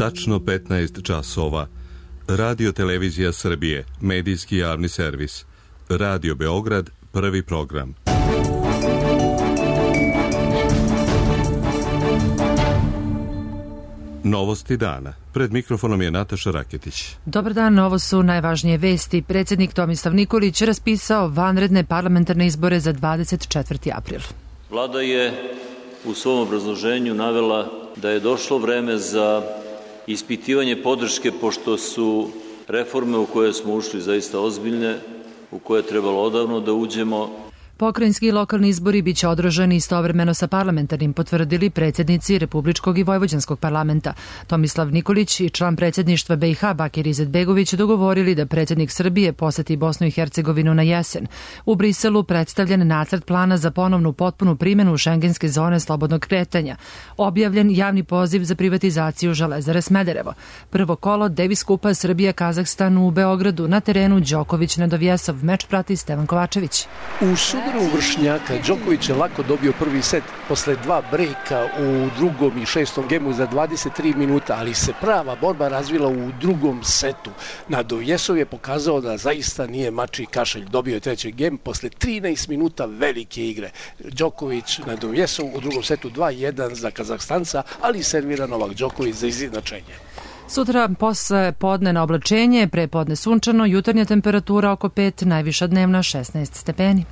Tačno 15 časova. Radio Televizija Srbije, medijski javni servis. Radio Beograd, prvi program. Novosti dana. Pred mikrofonom je Nataša Raketić. Dobar dan, ovo su najvažnije vesti. Predsjednik Tomislav Nikolić raspisao vanredne parlamentarne izbore za 24. april. Vlada je u svom obrazloženju navela da je došlo vreme za ispitivanje podrške, pošto su reforme u koje smo ušli zaista ozbiljne, u koje je trebalo odavno da uđemo. Pokrajinski i lokalni izbori biće održani istovremeno sa parlamentarnim, potvrdili predsjednici Republičkog i Vojvođanskog parlamenta. Tomislav Nikolić i član predsjedništva BiH Bakir Izetbegović dogovorili da predsjednik Srbije poseti Bosnu i Hercegovinu na jesen. U Briselu predstavljen nacrt plana za ponovnu potpunu primjenu šengenske zone slobodnog kretanja. Objavljen javni poziv za privatizaciju Železare Smederevo. Prvo kolo Davis Kupa Srbija-Kazahstan u Beogradu, na terenu Đoković-Nedovjesov. Meč prati Stevan Kovačević. U Vršnjaka Đoković je lako dobio prvi set posle dva brejka u drugom i šestom gemu za 23 minuta, ali se prava borba razvila u drugom setu. Nedovjesov je pokazao da zaista nije mačji kašalj. Dobio je treći gem posle 13 minuta velike igre. Đoković, Nedovjesov u drugom setu 2-1 za Kazahstanca, ali servira Novak Đoković za izjednačenje. Sutra posle podne na oblačenje, pre podne sunčano, jutarnja temperatura oko 5, najviša dnevna 16 stepeni.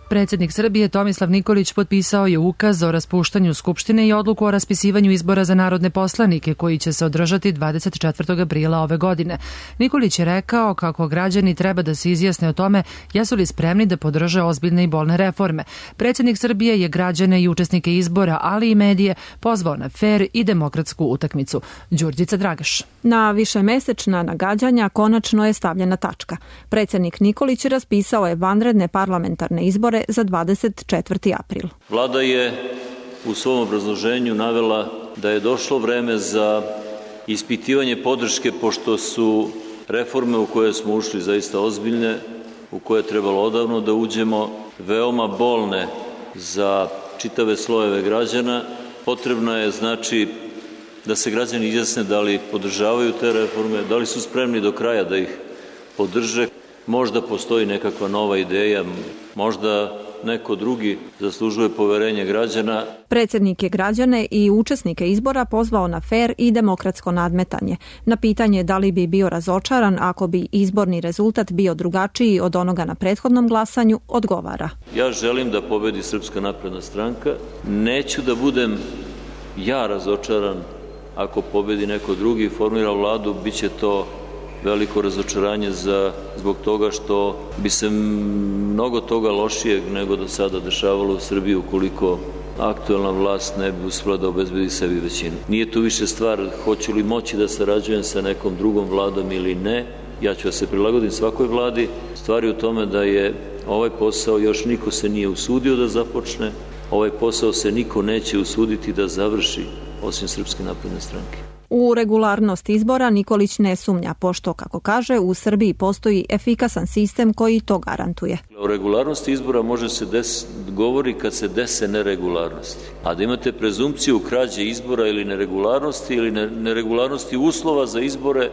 Predsjednik Srbije Tomislav Nikolić potpisao je ukaz o raspuštanju Skupštine i odluku o raspisivanju izbora za narodne poslanike koji će se održati 24. aprila ove godine. Nikolić je rekao kako građani treba da se izjasne o tome jesu li spremni da podrže ozbiljne i bolne reforme. Predsjednik Srbije je građane i učesnike izbora, ali i medije, pozvao na fer i demokratsku utakmicu. Đurđica Dragaš. Na višemesečna nagađanja konačno je stavljena tačka. Predsjednik Nikolić raspisao je vanredne parlamentarne izbore za 24. april. Vlada je u svom obrazloženju navela da je došlo vreme za ispitivanje podrške, pošto su reforme u koje smo ušli zaista ozbiljne, u koje je trebalo odavno da uđemo, veoma bolne za čitave slojeve građana. Potrebno je, znači, da se građani izjasne da li podržavaju te reforme, da li su spremni do kraja da ih podrže. Možda postoji nekakva nova ideja, možda neko drugi zaslužuje poverenje građana. Predsjednik je građane i učesnike izbora pozvao na fer i demokratsko nadmetanje. Na pitanje da li bi bio razočaran ako bi izborni rezultat bio drugačiji od onoga na prethodnom glasanju, odgovara. Ja želim da pobedi Srpska napredna stranka. Neću da budem ja razočaran ako pobedi neko drugi i formira vladu, bit će to veliko razočaranje zbog toga što bi se mnogo toga lošijeg nego do sada dešavalo u Srbiji ukoliko aktuelna vlast ne bi uspela da obezbedi sebi većinu. Nije tu više stvar hoću li moći da sarađujem sa nekom drugom vladom ili ne. Ja ću da se prilagodim svakoj vladi. Stvar je u tome da je ovaj posao još niko se nije usudio da započne. Ovaj posao se niko neće usuditi da završi osim Srpske napredne stranke. U regularnost izbora Nikolić ne sumnja, pošto, kako kaže, u Srbiji postoji efikasan sistem koji to garantuje. O regularnosti izbora može se govori kad se dese neregularnosti. A da imate prezumpciju krađe izbora ili neregularnosti uslova za izbore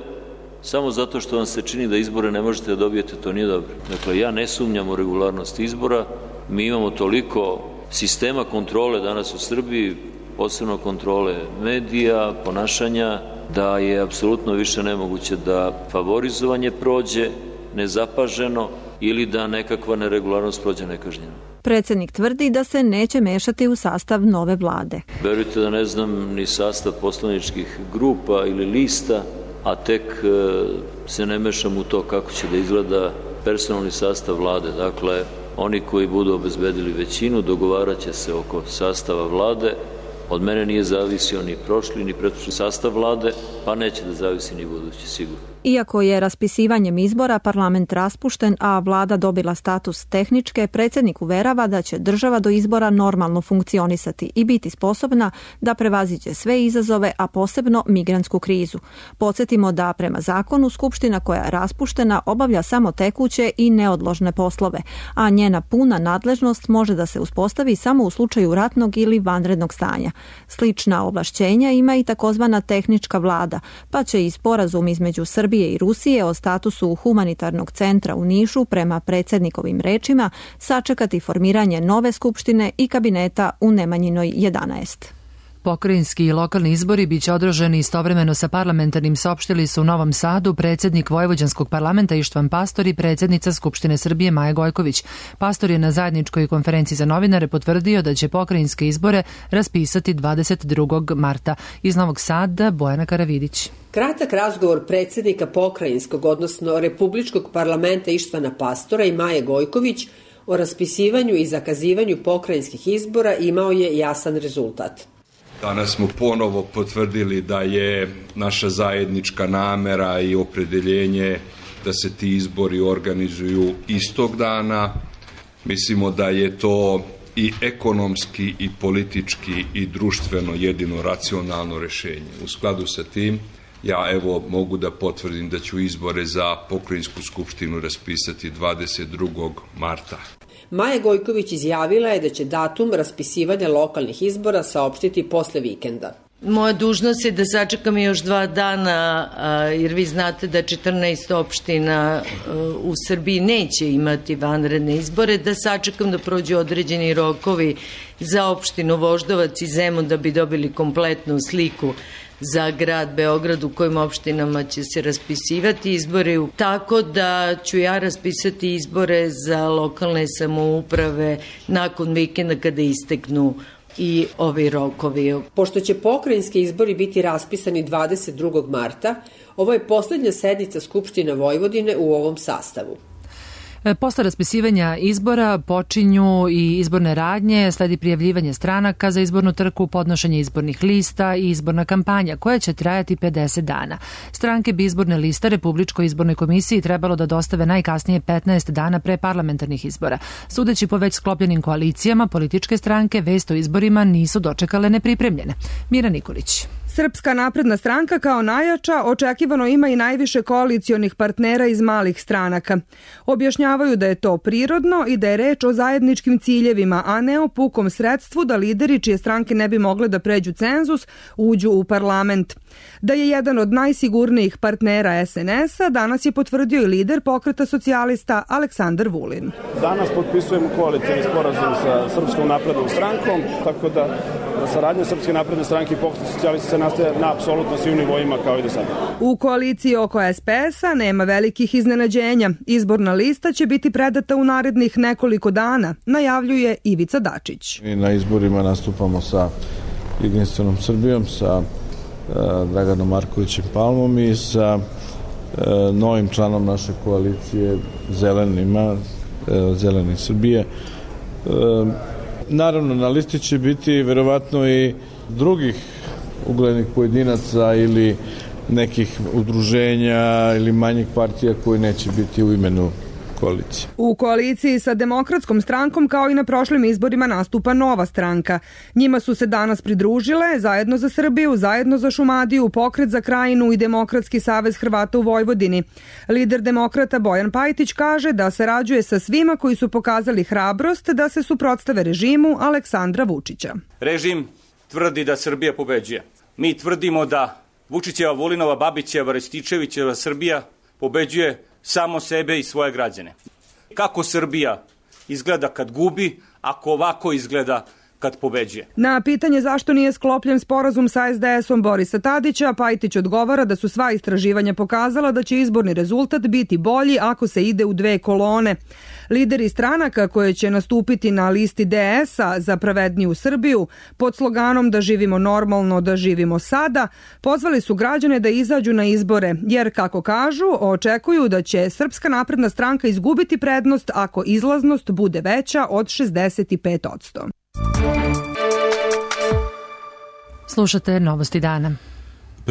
samo zato što vam se čini da izbore ne možete da dobijete, to nije dobro. Dakle, ja ne sumnjam u regularnost izbora. Mi imamo toliko sistema kontrole danas u Srbiji, posebno kontrole medija, ponašanja, da je apsolutno više nemoguće da favorizovanje prođe nezapaženo ili da nekakva neregularnost prođe nekažnjeno. Predsjednik tvrdi da se neće mešati u sastav nove vlade. Verujte da ne znam ni sastav poslaničkih grupa ili lista, a tek se ne mešam u to kako će da izgleda personalni sastav vlade. Dakle, oni koji budu obezbedili većinu dogovarat će se oko sastava vlade. Od mene nije zavisio ni prošli ni pretprošli sastav vlade, pa neće da zavisi ni budući, sigurno. Iako je raspisivanjem izbora parlament raspušten, a vlada dobila status tehničke, predsjednik uverava da će država do izbora normalno funkcionisati i biti sposobna da prevaziđe sve izazove, a posebno migrantsku krizu. Podsjetimo da prema zakonu Skupština koja je raspuštena obavlja samo tekuće i neodložne poslove, a njena puna nadležnost može da se uspostavi samo u slučaju ratnog ili vanrednog stanja. Slična ovlašćenja ima i takozvana tehnička vlada, pa će i sporazum između Srbije i Rusije o statusu humanitarnog centra u Nišu prema predsjednikovim rečima sačekati formiranje nove skupštine i kabineta u Nemanjinoj 11. Pokrajinski i lokalni izbori biće održani istovremeno sa parlamentarnim, saopštili su u Novom Sadu predsjednik Vojvođanskog parlamenta Ištvan Pastor i predsjednica Skupštine Srbije Maja Gojković. Pastor je na zajedničkoj konferenciji za novinare potvrdio da će pokrajinske izbore raspisati 22. marta. Iz Novog Sada Bojana Karavidić. Kratak razgovor predsjednika pokrajinskog, odnosno Republičkog parlamenta Ištvana Pastora i Maje Gojković o raspisivanju i zakazivanju pokrajinskih izbora imao je jasan rezultat. Danas smo ponovo potvrdili da je naša zajednička namera i opredeljenje da se ti izbori organizuju istog dana. Mislimo da je to i ekonomski i politički i društveno jedino racionalno rješenje. U skladu sa tim ja mogu da potvrdim da ću izbore za pokrajinsku skupštinu raspisati 22. marta. Maja Gojković izjavila je da će datum raspisivanja lokalnih izbora saopštiti posle vikenda. Moja dužnost je da sačekam još 2 dana, jer vi znate da 14 opština u Srbiji neće imati vanredne izbore, da sačekam da prođu određeni rokovi za opštinu Voždovac i Zemun da bi dobili kompletnu sliku za grad Beograd u kojim opštinama će se raspisivati izbori. Tako da ću ja raspisati izbore za lokalne samouprave nakon vikenda kada isteknu i ovi rokovi. Pošto će pokrajinski izbori biti raspisani 22. marta, ovo je poslednja sednica Skupštine Vojvodine u ovom sastavu. Posle raspisivanja izbora počinju i izborne radnje, sledi prijavljivanje stranaka za izbornu trku, podnošenje izbornih lista i izborna kampanja koja će trajati 50 dana. Stranke bi izborne liste Republičkoj izbornoj komisiji trebalo da dostave najkasnije 15 dana pre parlamentarnih izbora. Sudeći po već sklopljenim koalicijama, političke stranke vest o izborima nisu dočekale nepripremljene. Mira Nikolić. Srpska napredna stranka kao najjača očekivano ima i najviše koalicionih partnera iz malih stranaka. Objašnjavaju da je to prirodno i da je reč o zajedničkim ciljevima, a ne o pukom sredstvu da lideri čije stranke ne bi mogle da pređu cenzus uđu u parlament. Da je jedan od najsigurnijih partnera SNS-a danas je potvrdio i lider Pokreta socijalista Aleksandar Vulin. Danas potpisujemo koalicijni sporazum sa Srpskom naprednom strankom, tako da saradnja Srpske napredne stranke i Pokreta socijalista se nastaje na apsolutno svim nivoima kao i do sada. U koaliciji oko SPS-a nema velikih iznenađenja. Izborna lista će biti predata u narednih nekoliko dana, najavljuje Ivica Dačić. Mi na izborima nastupamo sa Jedinstvenom Srbijom, sa Draganom Markovićem Palmom i sa novim članom naše koalicije Zelenima, Zeleni Srbije. Naravno, na listi će biti verovatno i drugih uglednih pojedinaca ili nekih udruženja ili manjih partija koji neće biti u imenu koalicije. U koaliciji sa Demokratskom strankom kao i na prošlim izborima nastupa nova stranka. Njima su se danas pridružile Zajedno za Srbiju, Zajedno za Šumadiju, Pokret za Krajinu i Demokratski savez Hrvata u Vojvodini. Lider demokrata Bojan Pajtić kaže da sarađuje sa svima koji su pokazali hrabrost da se suprotstave režimu Aleksandra Vučića. Režim tvrdi da Srbija pobeđuje. Mi tvrdimo da Vučićeva, Vulinova, Babićeva, Rističevićeva Srbija pobeđuje samo sebe i svoje građane. Kako Srbija izgleda kad gubi, ako ovako izgleda kad pobeđuje? Na pitanje zašto nije sklopljen sporazum sa SDS-om Borisa Tadića, Pajtić odgovara da su sva istraživanja pokazala da će izborni rezultat biti bolji ako se ide u 2 kolone. Lideri stranaka koje će nastupiti na listi DS-a za pravedniju Srbiju pod sloganom da živimo normalno, da živimo sada, pozvali su građane da izađu na izbore, jer, kako kažu, očekuju da će Srpska napredna stranka izgubiti prednost ako izlaznost bude veća od 65%. Slušate Novosti dana.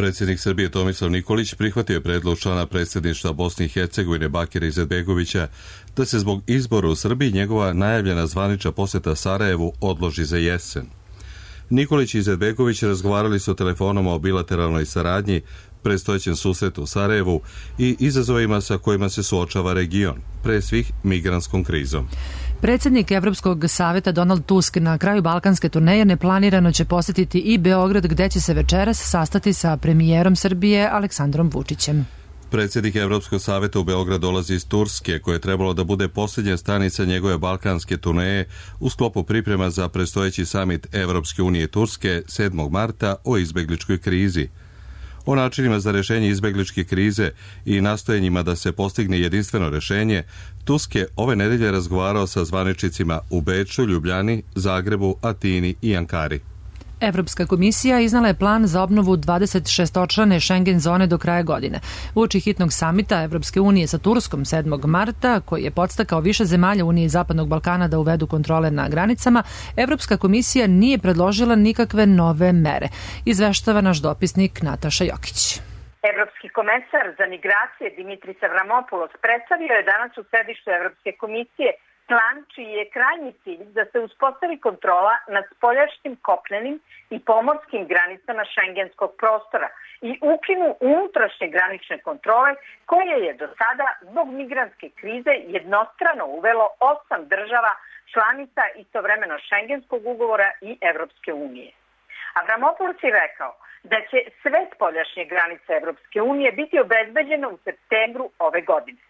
Predsjednik Srbije Tomislav Nikolić prihvatio je predlog člana predsjedništva Bosne i Hercegovine Bakira Izetbegovića da se zbog izbora u Srbiji njegova najavljena zvanična posjeta Sarajevu odloži za jesen. Nikolić i Izetbegović razgovarali su telefonom o bilateralnoj saradnji, predstojećem susretu u Sarajevu i izazovima sa kojima se suočava region, pre svih migrantskom krizom. Predsjednik Evropskog saveta Donald Tusk na kraju balkanske turneje neplanirano će posjetiti i Beograd, gde će se večeras sastati sa premijerom Srbije Aleksandrom Vučićem. Predsjednik Evropskog saveta u Beograd dolazi iz Turske, koje je trebalo da bude posljednja stanica njegove balkanske turneje u sklopu priprema za predstojeći samit Evropske unije i Turske 7. marta o izbegličkoj krizi. O načinima za rješenje izbegličke krize i nastojenjima da se postigne jedinstveno rješenje, Tusk je ove nedelje razgovarao sa zvaničnicima u Beču, Ljubljani, Zagrebu, Atini i Ankari. Evropska komisija iznala je plan za obnovu 26-očlane Schengen zone do kraja godine. Uoči hitnog samita Evropske unije sa Turskom 7. marta, koji je podstakao više zemalja Unije i Zapadnog Balkana da uvedu kontrole na granicama, Evropska komisija nije predložila nikakve nove mere. Izveštava naš dopisnik Nataša Jokić. Evropski komesar za migracije Dimitris Avramopoulos predstavio je danas u sedištu Evropske komisije plan čiji je krajnji cilj da se uspostavi kontrola nad spoljašnjim kopnenim i pomorskim granicama šengenskog prostora i ukinu unutrašnje granične kontrole koje je do sada zbog migrantske krize jednostrano uvelo 8 država članica istovremeno šengenskog ugovora i Evropske unije. Avramopoulos je rekao da će sve spoljašnje granice Evropske unije biti obezbeđene u septembru ove godine.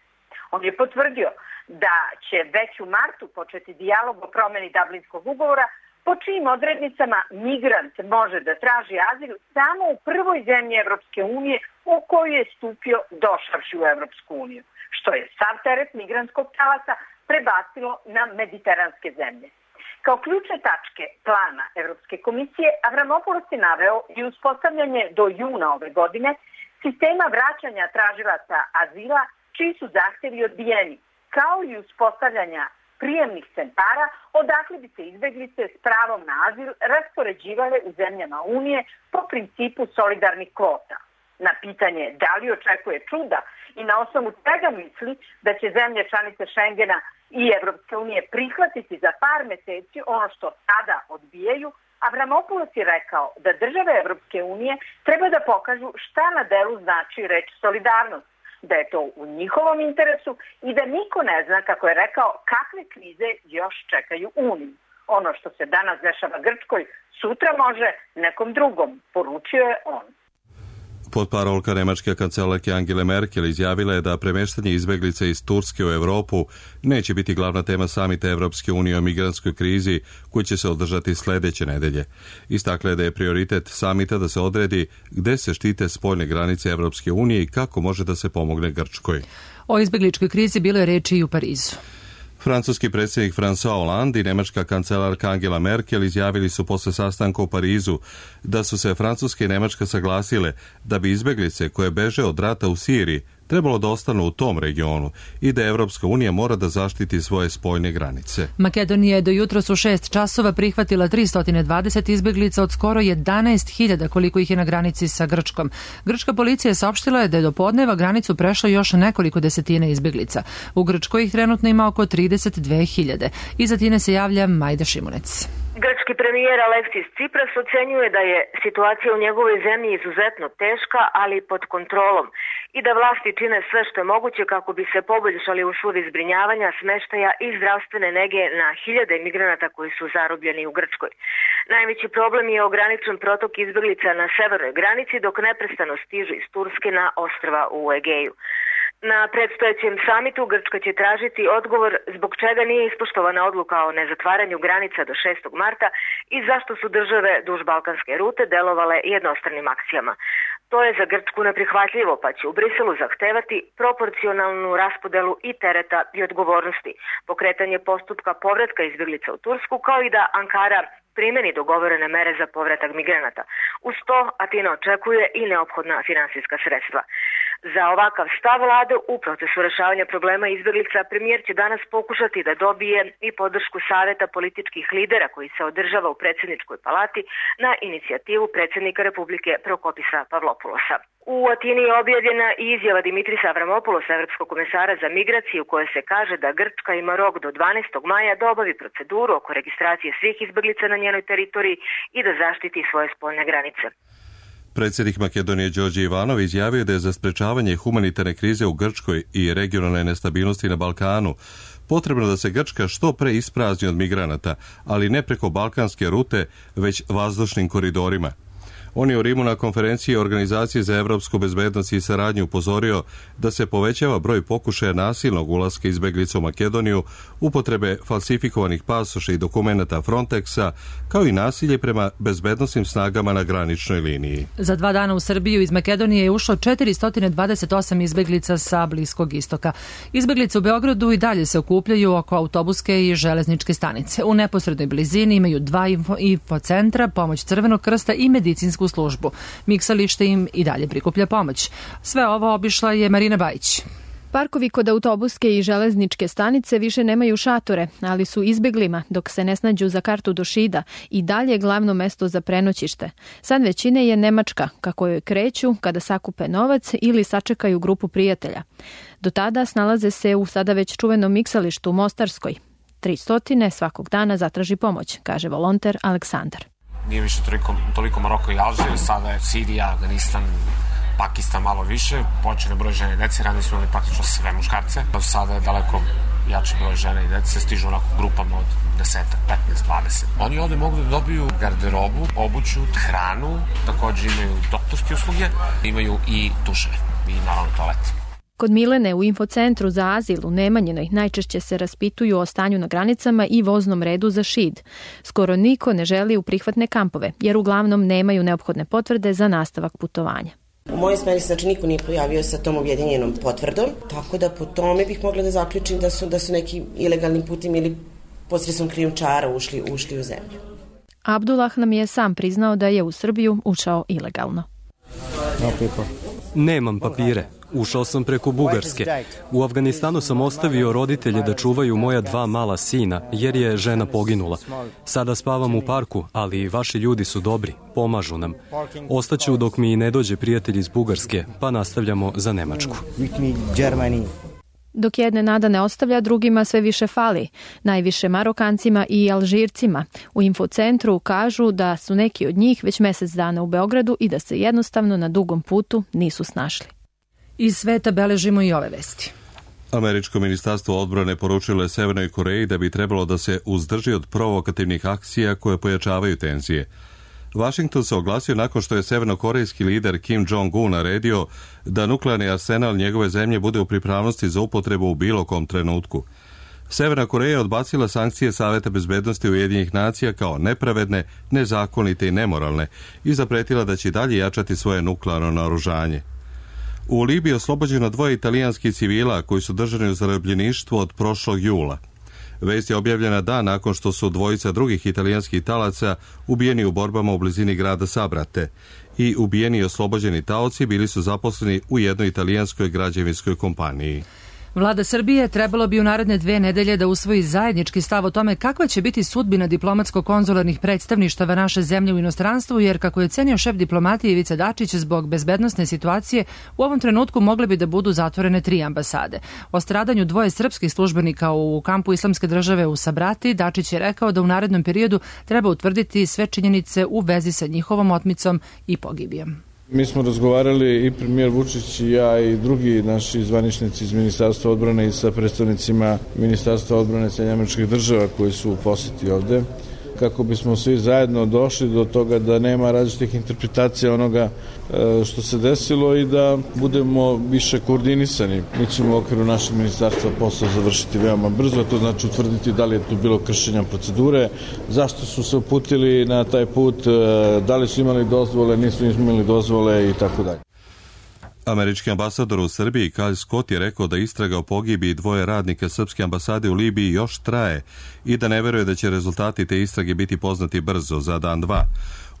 On je potvrdio da će već u martu početi dijalog o promeni Dublinskog ugovora, po čijim odrednicama migrant može da traži azil samo u prvoj zemlji Evropske unije u koju je stupio došavši u Evropsku uniju, što je sav teret migrantskog talasa prebacilo na mediteranske zemlje. Kao ključne tačke plana Evropske komisije, Avramopoulos je naveo i uspostavljanje do juna ove godine sistema vraćanja tražilaca azila čiji su zahtjevi odbijeni, kao i uspostavljanja prijemnih centara odakle bi se izbeglice s pravom na azil raspoređivale u zemljama Unije po principu solidarnih kvota. Na pitanje da li očekuje čuda i na osnovu čega misli da će zemlje članice Schengena i Evropske unije prihvatiti za par meseci ono što sada odbijaju, Avramopoulos je rekao da države Evropske unije treba da pokažu šta na delu znači reč solidarnost, da je to u njihovom interesu i da niko ne zna, kako je rekao, kakve krize još čekaju Uniju. Ono što se danas dešava Grčkoj, sutra može nekom drugom, poručio je on. Potparolka nemačke kancelarke Angele Merkel izjavila je da premeštanje izbeglice iz Turske u Europu neće biti glavna tema samita Evropske unije o migrantskoj krizi koji će se održati sljedeće nedelje. Istakla je da je prioritet samita da se odredi gde se štite spoljne granice Evropske unije i kako može da se pomogne Grčkoj. O izbegličkoj krizi bilo je reči i u Parizu. Francuski predsjednik François Hollande i nemačka kancelarka Angela Merkel izjavili su posle sastanka u Parizu da su se Francuska i Nemačka saglasile da bi izbeglice koje beže od rata u Siriji trebalo da ostanu u tom regionu i da Evropska unija mora da zaštiti svoje spoljne granice. Makedonija je do jutros u 6 časova prihvatila 320 izbeglica od skoro 11.000 koliko ih je na granici sa Grčkom. Grčka policija saopštila je da je do podneva granicu prešlo još nekoliko desetina izbeglica. U Grčkoj ih trenutno ima oko 32.000. Iz Atine se javlja Majda Šimunec. Grčki premijer Aleksis Tsipras ocenjuje da je situacija u njegovoj zemlji izuzetno teška, ali pod kontrolom i da vlasti čine sve što je moguće kako bi se poboljšali uslovi zbrinjavanja, smeštaja i zdravstvene nege na hiljade migranata koji su zarobljeni u Grčkoj. Najveći problem je ograničen protok izbeglica na severnoj granici dok neprestano stižu iz Turske na ostrva u Egeju. Na predstojećem samitu Grčka će tražiti odgovor zbog čega nije ispoštovana odluka o nezatvaranju granica do 6. marta i zašto su države duž balkanske rute delovale jednostranim akcijama. To je za Grčku neprihvatljivo, pa će u Briselu zahtevati proporcionalnu raspodelu i tereta i odgovornosti, pokretanje postupka povratka izbjeglica u Tursku, kao i da Ankara primeni dogovorene mere za povratak migranata. Uz to Atina očekuje i neophodna finansijska sredstva. Za ovakav stav vlade u procesu rešavanja problema izbeglica premijer će danas pokušati da dobije i podršku Saveta političkih lidera koji se održava u predsjedničkoj palati na inicijativu predsjednika Republike Prokopisa Pavlopulosa. U Atini je objavljena i izjava Dimitrisa Avramopulosa, evropskog komesara za migraciju, u kojoj se kaže da Grčka ima rok do 12. maja da obavi proceduru oko registracije svih izbeglica na njenoj teritoriji i da zaštiti svoje spoljne granice. Predsjednik Makedonije Đorđe Ivanov izjavio da je za sprečavanje humanitarne krize u Grčkoj i regionalne nestabilnosti na Balkanu potrebno da se Grčka što pre isprazni od migranata, ali ne preko balkanske rute, već vazdušnim koridorima. On je u Rimu na konferenciji Organizacije za evropsku bezbednost i saradnju upozorio da se povećava broj pokušaja nasilnog ulaska izbeglica u Makedoniju, upotrebe falsifikovanih pasoša i dokumenata Frontexa, kao i nasilje prema bezbednosnim snagama na graničnoj liniji. Za 2 dana u Srbiju iz Makedonije je ušlo 428 izbeglica sa Bliskog istoka. Izbeglice u Beogradu i dalje se okupljaju oko autobuske i železničke stanice. U neposrednoj blizini imaju 2 infocentra, pomoć Crvenog krsta i medicinsku službu. Miksalište im i dalje prikuplja pomoć. Sve ovo obišla je Marina Bajić. Parkovi kod autobuske i železničke stanice više nemaju šatore, ali su izbeglima, dok se ne snađu za kartu do Šida, i dalje glavno mesto za prenoćište. San većine je Nemačka, kako joj kreću kada sakupe novac ili sačekaju grupu prijatelja. Do tada snalaze se u sada već čuvenom miksalištu u Mostarskoj. 300 svakog dana zatraži pomoć, kaže volonter Aleksandar. Nije više toliko Maroko i Alžir, sada je Sirija, Afganistan, Pakistan malo više, počne broj žene i dece, ranije su imali praktično sve muškarce, sada je daleko jači broj žene i dece, stižu onako grupama od 10, 15, 20. Oni ovde mogu da dobiju garderobu, obuću, hranu, također imaju doktorske usluge, imaju i duševe i naravno toalet. Kod Milene u infocentru za azil u Nemanjinoj najčešće se raspituju o stanju na granicama i voznom redu za Šid. Skoro niko ne želi u prihvatne kampove, jer uglavnom nemaju neophodne potvrde za nastavak putovanja. U mojoj smeri se znači niko nije pojavio sa tom objedinjenom potvrdom, tako da po tome bih mogla da zaključim da su neki ilegalnim putem ili posredstvom krijumčara ušli u zemlju. Abdullah nam je sam priznao da je u Srbiju ušao ilegalno. Nemam papire. Ušao sam preko Bugarske. U Afganistanu sam ostavio roditelje da čuvaju moja 2 mala sina, jer je žena poginula. Sada spavam u parku, ali vaši ljudi su dobri, pomažu nam. Ostaću dok mi ne dođe prijatelj iz Bugarske, pa nastavljamo za Nemačku. Dok jedne nada ne ostavlja, drugima sve više fali. Najviše Marokancima i Alžircima. U infocentru kažu da su neki od njih već mjesec dana u Beogradu i da se jednostavno na dugom putu nisu snašli. Iz sveta beležimo i ove vesti. Američko ministarstvo odbrane poručilo je Severnoj Koreji da bi trebalo da se uzdrži od provokativnih akcija koje pojačavaju tenzije. Washington se oglasio nakon što je severnokorejski lider Kim Jong-un naredio da nuklearni arsenal njegove zemlje bude u pripravnosti za upotrebu u bilo kom trenutku. Severna Koreja je odbacila sankcije Saveta bezbednosti Ujedinjenih nacija kao nepravedne, nezakonite i nemoralne i zapretila da će dalje jačati svoje nuklearno naoružanje. U Libiji oslobođeno 2 italijanskih civila koji su držani u zarobljeništvu od prošlog jula. Vest je objavljena dan nakon što su 2 drugih italijanskih talaca ubijeni u borbama u blizini grada Sabrate i ubijeni i oslobođeni taoci bili su zaposleni u jednoj italijanskoj građevinskoj kompaniji. Vlada Srbije trebalo bi u naredne 2 nedelje da usvoji zajednički stav o tome kakva će biti sudbina diplomatsko-konzularnih predstavništava naše zemlje u inostranstvu, jer kako je cenio šef diplomatije Ivica Dačić, zbog bezbednosne situacije u ovom trenutku mogle bi da budu zatvorene 3 ambasade. O stradanju 2 srpskih službenika u kampu Islamske države u Sabrati, Dačić je rekao da u narednom periodu treba utvrditi sve činjenice u vezi sa njihovom otmicom i pogibijom. Mi smo razgovarali i premijer Vučić i ja i drugi naši zvaničnici iz Ministarstva odbrane i sa predstavnicima Ministarstva odbrane Sjedinjenih Američkih Država koji su u poseti ovde, kako bismo svi zajedno došli do toga da nema različitih interpretacija onoga što se desilo i da budemo više koordinisani. Mi ćemo u okviru našeg ministarstva posao završiti veoma brzo, to znači utvrditi da li je tu bilo kršenja procedure, zašto su se uputili na taj put, da li su imali dozvole, nisu imali dozvole i tako dalje. Američki ambasador u Srbiji Kyle Scott je rekao da istraga o pogibiji 2 radnika srpske ambasade u Libiji još traje i da ne veruje da će rezultati te istrage biti poznati brzo, za dan 2.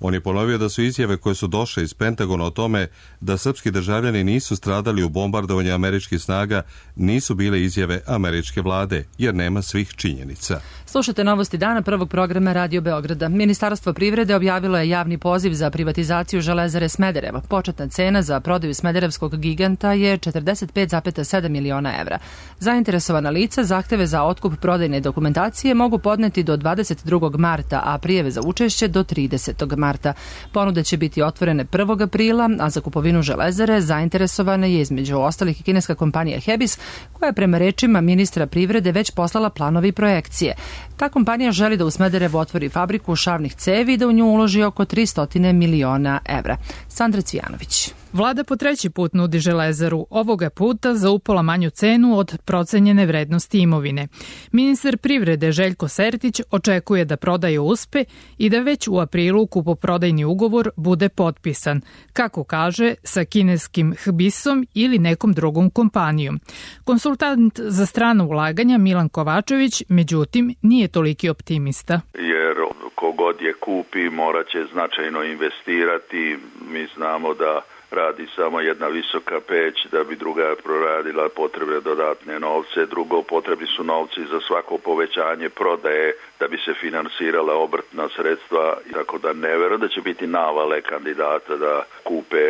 On je ponovio da su izjave koje su došle iz Pentagona o tome da srpski državljani nisu stradali u bombardovanju američkih snaga nisu bile izjave američke vlade, jer nema svih činjenica. Slušate novosti dana prvog programa Radio Beograda. Ministarstvo privrede objavilo je javni poziv za privatizaciju Železare Smederevo. Početna cena za prodaju smederevskog giganta je 45,7 miliona evra. Zainteresovana lica zahteve za otkup prodajne dokumentacije mogu podneti do 22. marta, a prijave za učešće do 30. marta. Ponude će biti otvorene 1. aprila, a za kupovinu Železare zainteresovana je između ostalih i kineska kompanija Hebis, koja je prema rečima ministra privrede već poslala planovi i projekcije. Ta kompanija želi da u Smederevu otvori fabriku šavnih cevi i da u nju uloži oko 300 miliona evra. Sandra Cvijanović. Vlada po treći put nudi Železaru, ovoga puta za upola manju cenu od procenjene vrednosti imovine. Ministar privrede Željko Sertić očekuje da prodaja uspe i da već u aprilu kupoprodajni ugovor bude potpisan, kako kaže, sa kineskim Hbisom ili nekom drugom kompanijom. Konsultant za strano ulaganja Milan Kovačević, međutim, nije toliki optimista. Jer kogod je kupi morat će značajno investirati. Mi znamo da radi samo jedna visoka peć, da bi druga proradila potrebne dodatne novce. Drugo, potrebni su novci za svako povećanje prodaje da bi se finansirala obrtna sredstva, tako da ne verujem da će biti navale kandidata da kupe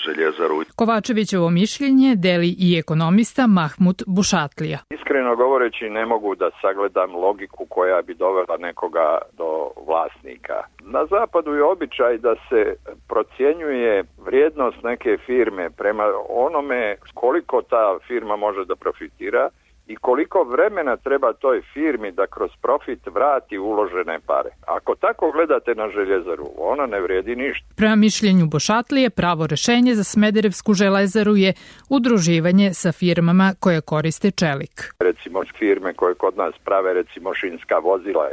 Željezaru. Kovačevićevo mišljenje deli i ekonomista Mahmut Bušatlija. Iskreno govoreći, ne mogu da sagledam logiku koja bi dovela nekoga do vlasnika. Na zapadu je običaj da se procjenjuje vrijednost neke firme prema onome koliko ta firma može da profitira i koliko vremena treba toj firmi da kroz profit vrati uložene pare. Ako tako gledate na Željezaru, ona ne vrijedi ništa. Prema mišljenju Bošatlije, pravo rešenje za Smederevsku Železaru je udruživanje sa firmama koje koriste čelik. Recimo firme koje kod nas prave recimo šinska vozila,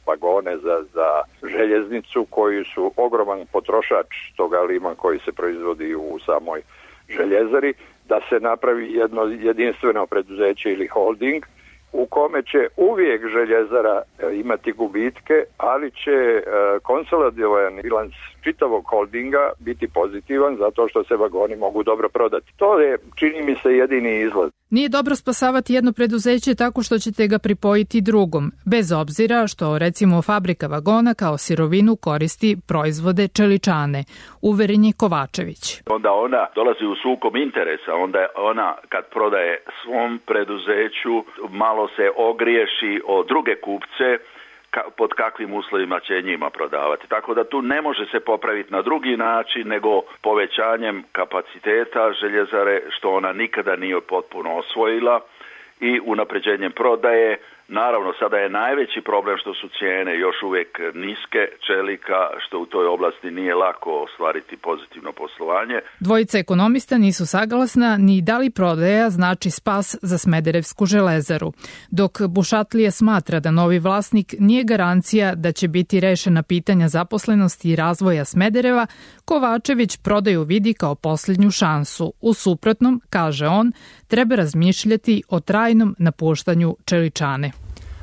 vagone za željeznicu koji su ogroman potrošač toga lima koji se proizvodi u samoj Željezari, da se napravi jedno jedinstveno preduzeće ili holding u kome će uvijek Željezara imati gubitke, ali će konsolidovan bilans čitavog holdinga biti pozitivan zato što se vagoni mogu dobro prodati. To je, čini mi se, jedini izlaz. Nije dobro spasavati jedno preduzeće tako što ćete ga pripojiti drugom, bez obzira što, recimo, fabrika vagona kao sirovinu koristi proizvode čeličane, uveren je Kovačević. Onda ona dolazi u sukob interesa, onda ona kad prodaje svom preduzeću malo se ogriješi o druge kupce pod kakvim uslovima će njima prodavati. Tako da tu ne može se popraviti na drugi način nego povećanjem kapaciteta Željezare, što ona nikada nije potpuno osvojila, i unapređenjem prodaje. Naravno, sada je najveći problem što su cijene još uvijek niske čelika, što u toj oblasti nije lako ostvariti pozitivno poslovanje. Dvojica ekonomista nisu saglasna ni da li prodaja znači spas za Smederevsku Železaru. Dok Bušatlija smatra da novi vlasnik nije garancija da će biti rešena pitanja zaposlenosti i razvoja Smedereva, Kovačević prodaju vidi kao posljednju šansu. U suprotnom, kaže on, treba razmišljati o trajnom napuštanju čeličane.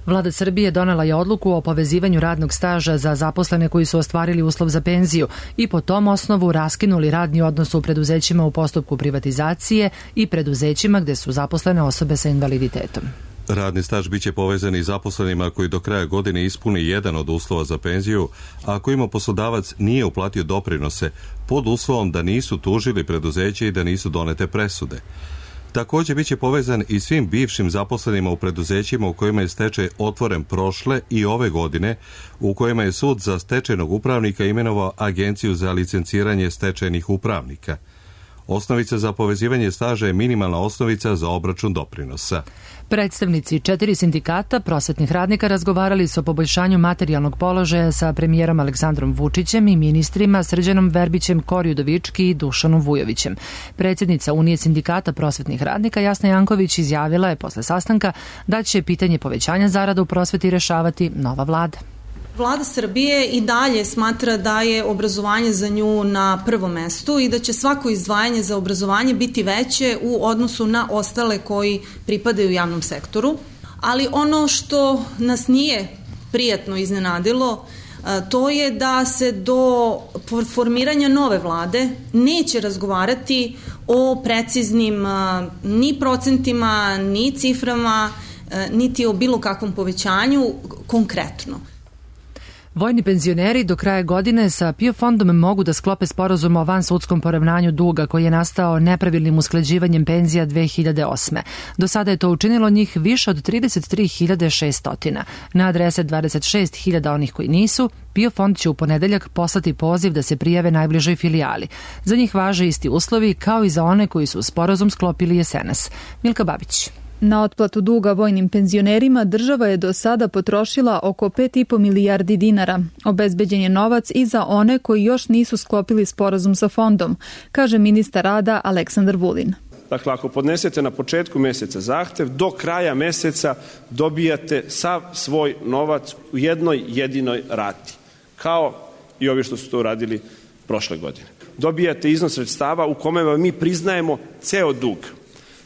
Vlada Srbije donela je odluku o povezivanju radnog staža za zaposlene koji su ostvarili uslov za penziju i po tom osnovu raskinuli radni odnos u preduzećima u postupku privatizacije i preduzećima gde su zaposlene osobe sa invaliditetom. Radni staž biće povezan i zaposlenima koji do kraja godine ispuni jedan od uslova za penziju, a ako ima poslodavac nije uplatio doprinose, pod uslovom da nisu tužili preduzeće i da nisu donete presude. Također biće povezan i svim bivšim zaposlenima u preduzećima u kojima je stečaj otvoren prošle i ove godine, u kojima je sud za stečajnog upravnika imenovao Agenciju za licenciranje stečajnih upravnika. Osnovica za povezivanje staža je minimalna osnovica za obračun doprinosa. Predstavnici 4 sindikata prosvetnih radnika razgovarali su o poboljšanju materijalnog položaja sa premijerom Aleksandrom Vučićem i ministrima Srđanom Verbićem, Kori Udovički i Dušanom Vujovićem. Predsjednica Unije sindikata prosvetnih radnika Jasna Janković izjavila je posle sastanka da će pitanje povećanja zarada u prosveti rešavati nova vlada. Vlada Srbije i dalje smatra da je obrazovanje za nju na prvom mestu i da će svako izdvajanje za obrazovanje biti veće u odnosu na ostale koji pripadaju javnom sektoru. Ali ono što nas nije prijatno iznenadilo to je da se do formiranja nove vlade neće razgovarati o preciznim ni procentima, ni ciframa, niti o bilo kakvom povećanju konkretno. Vojni penzioneri do kraja godine sa PIO fondom mogu da sklope sporazum o vansudskom poravnanju duga koji je nastao nepravilnim usklađivanjem penzija 2008. Do sada je to učinilo njih više od 33.600. Na adrese 26.000 onih koji nisu, PIO fond će u ponedeljak poslati poziv da se prijave najbližoj filijali. Za njih važe isti uslovi kao i za one koji su sporazum sklopili jesenas. Milka Babić. Na otplatu duga vojnim penzionerima država je do sada potrošila oko 5,5 milijardi dinara. Obezbeđen je novac i za one koji još nisu sklopili sporazum sa fondom, kaže ministar rada Aleksandar Vulin. Dakle, ako podnesete na početku meseca zahtev, do kraja meseca dobijate sav svoj novac u jednoj jedinoj rati, kao i ovi što su to uradili prošle godine. Dobijate iznos sredstava u kome vam mi priznajemo ceo dug,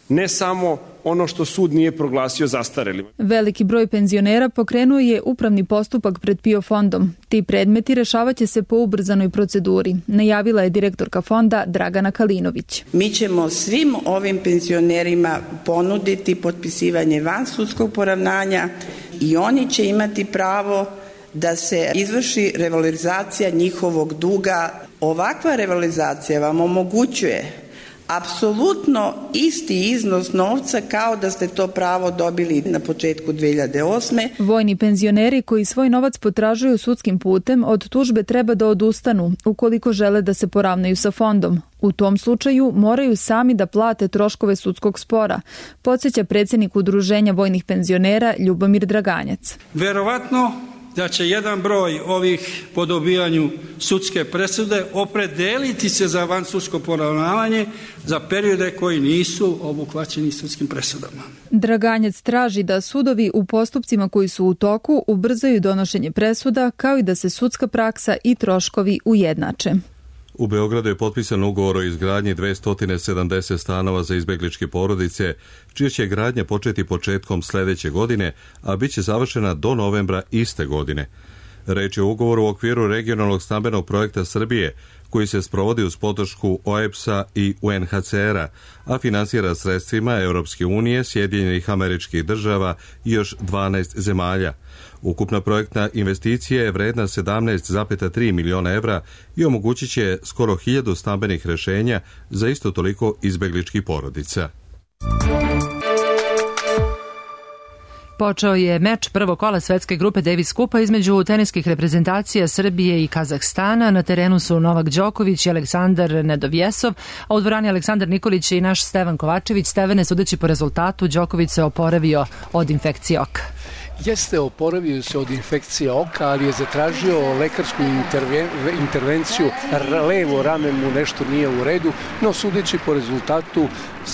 ne samo ono što sud nije proglasio zastarelim. Veliki broj penzionera pokrenuo je upravni postupak pred PIO fondom. Ti predmeti rešavaće se po ubrzanoj proceduri, najavila je direktorka fonda Dragana Kalinović. Mi ćemo svim ovim penzionerima ponuditi potpisivanje vansudskog poravnanja i oni će imati pravo da se izvrši revalorizacija njihovog duga. Ovakva revalorizacija vam omogućuje apsolutno isti iznos novca kao da ste to pravo dobili na početku 2008. Vojni penzioneri koji svoj novac potražuju sudskim putem od tužbe treba da odustanu ukoliko žele da se poravnaju sa fondom. U tom slučaju moraju sami da plate troškove sudskog spora, podsjeća predsjednik Udruženja vojnih penzionera Ljubomir Draganjac. Verovatno da će jedan broj ovih po dobijanju sudske presude opredeliti se za vansudsko poravnavanje za periode koji nisu obuhvaćeni sudskim presudama. Draganjac traži da sudovi u postupcima koji su u toku ubrzaju donošenje presuda, kao i da se sudska praksa i troškovi ujednače. U Beogradu je potpisan ugovor o izgradnji 270 stanova za izbegličke porodice, čija će gradnja početi početkom sledeće godine, a bit će završena do novembra iste godine. Reč je o ugovoru u okviru regionalnog stambenog projekta Srbije, koji se sprovodi uz podršku OEBS-a i UNHCR-a, a finansira sredstvima Europske unije, Sjedinjenih Američkih Država i još 12 zemalja. Ukupna projektna investicija je vredna 17,3 miliona evra i omogućit će skoro 1000 stambenih rešenja za isto toliko izbegličkih porodica. Počeo je meč prvog kola svetske grupe Davis Kupa između teniskih reprezentacija Srbije i Kazahstana. Na terenu su Novak Đoković i Aleksandar Nedovjesov, a u dvorani Aleksandar Nikolić i naš Stevan Kovačević. Stevane, sudeći po rezultatu, Đoković se oporavio od infekcije oka. Jeste, oporavio se od infekcije oka, ali je zatražio lekarsku intervenciju, levo rame mu nešto nije u redu, no sudeći po rezultatu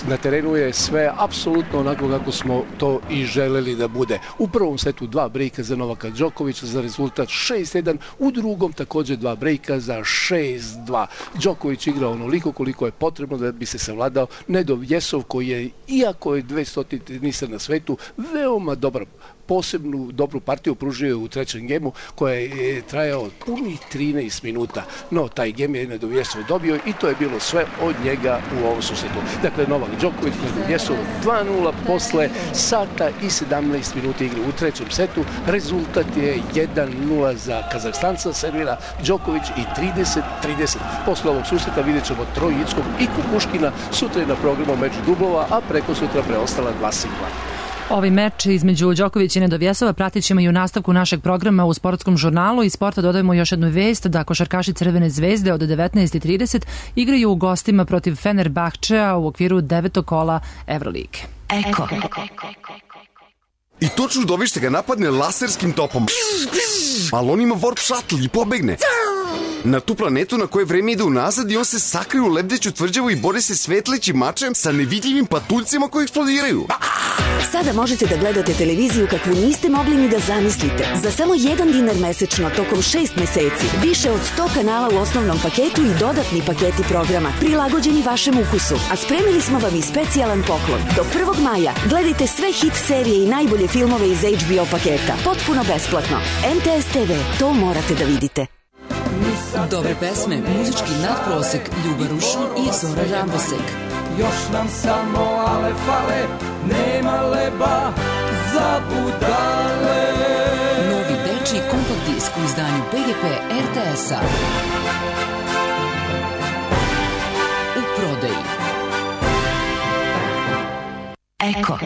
na terenu je sve apsolutno onako kako smo to i želeli da bude. U prvom setu 2 brejka za Novaka Đokovića za rezultat 6-1, u drugom također 2 brejka za 6-2. Đoković igrao onoliko koliko je potrebno da bi se savladao Nedovjesov, koji je, iako je 200 tenisar na svetu, veoma dobar, posebnu dobru partiju pružio je u trećem gemu koja je trajao punih 13 minuta. No, taj gem je Nedovjesov dobio i to je bilo sve od njega u ovom susretu. Dakle, Novak Đoković, Nedovjesov 2-0 posle sata i 17 minuta igre u trećem setu. Rezultat je 1-0 za Kazahstanca, servira Đoković i 30-30. Posle ovog susreta vidjet ćemo Trojickog i Kukuškina. Sutra je na programu meč dublova, a preko sutra preostala 2 singla. Ovaj meč između Đokovića i Nedovjesova pratit ćemo i u nastavku našeg programa u sportskom žurnalu. Iz sporta dodajemo još jednu vest da košarkaši Crvene zvezde od 19:30 igraju u gostima protiv Fenerbahčea u okviru 9. kola Evrolige. Eko. I to čudovište ga napadne laserskim topom. Ali on ima warp shuttle i pobegne. Na tu planetu na kojoj vreme ide unazad i on se sakrio u lebdeću tvrđavu i bori se svetlećim mačem sa nevidljivim patuljcima koji eksplodiraju. Sada možete da gledate televiziju kakvu niste mogli ni da zamislite. Za samo $1 mesečno tokom 6 meseci. Više od 100 kanala u osnovnom paketu i dodatni paketi programa prilagođeni vašem ukusu. A spremili smo vam i specijalan poklon. Do 1. maja gledajte sve hit serije i najbolje filmove iz HBO paketa. Potpuno besplatno. MTS TV, to morate da vidite. Dobre pesme, muzički nadprosek, Ljuba Rušun i Zora Rambosek. Još nam samo ale fale, nema leba za budale. Novi dečiji kompakt disk u izdanju BGP RTS-a. U prodaji. Eko.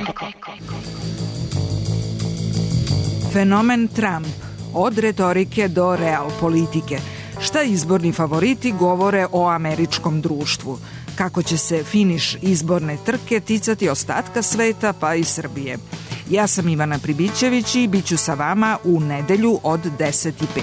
Fenomen Trump. Od retorike do real politike. Šta izborni favoriti govore o američkom društvu? Kako će se finiš izborne trke ticati ostatka sveta pa i Srbije? Ja sam Ivana Pribićević i bit ću sa vama u nedelju od 10:05.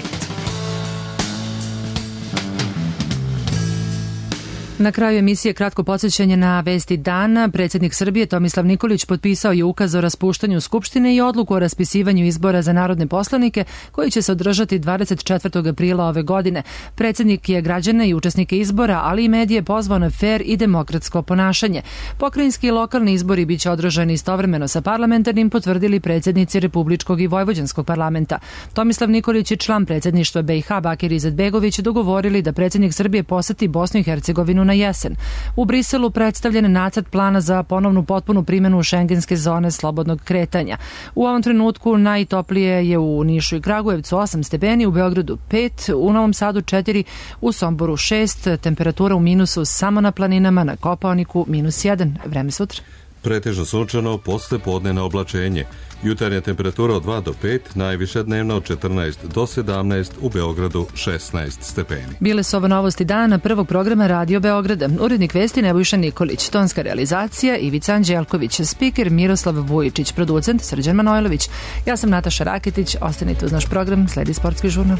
Na kraju emisije kratko podsjećanje na vesti dana. Predsjednik Srbije Tomislav Nikolić potpisao je ukaz o raspuštanju Skupštine i odluku o raspisivanju izbora za narodne poslanike koji će se održati 24. aprila ove godine. Predsjednik je građane i učesnike izbora, ali i medije pozvao na fer i demokratsko ponašanje. Pokrajinski i lokalni izbori biće održani istovremeno sa parlamentarnim, potvrdili predsjednici Republičkog i Vojvođanskog parlamenta. Tomislav Nikolić i član predsjedništva BiH Bakir Izetbegović dogovorili da predsjednik Srbije poseti Bosnu i Hercegovinu na jesen. U Briselu predstavljen je nacrt plana za ponovnu potpunu primjenu šengenske zone slobodnog kretanja. U ovom trenutku najtoplije je u Nišu i Kragujevcu 8 stepeni, u Beogradu 5, u Novom Sadu 4, u Somboru 6, temperatura u minusu samo na planinama, na Kopaoniku -1. Vreme sutra. Pretežno sunčano, posle podnevno oblačenje. Jutarnja temperatura od 2 do 5, najviša dnevna od 14 do 17, u Beogradu 16 stepeni. Bile su ovo novosti dana prvog programa Radio Beograda. Urednik vesti Nebojša Nikolić, tonska realizacija Ivica Anđelković, spiker Miroslav Vujičić, producent Srđan Manojlović. Ja sam Nataša Raketić, ostanite uz naš program, sledi sportski žurnal.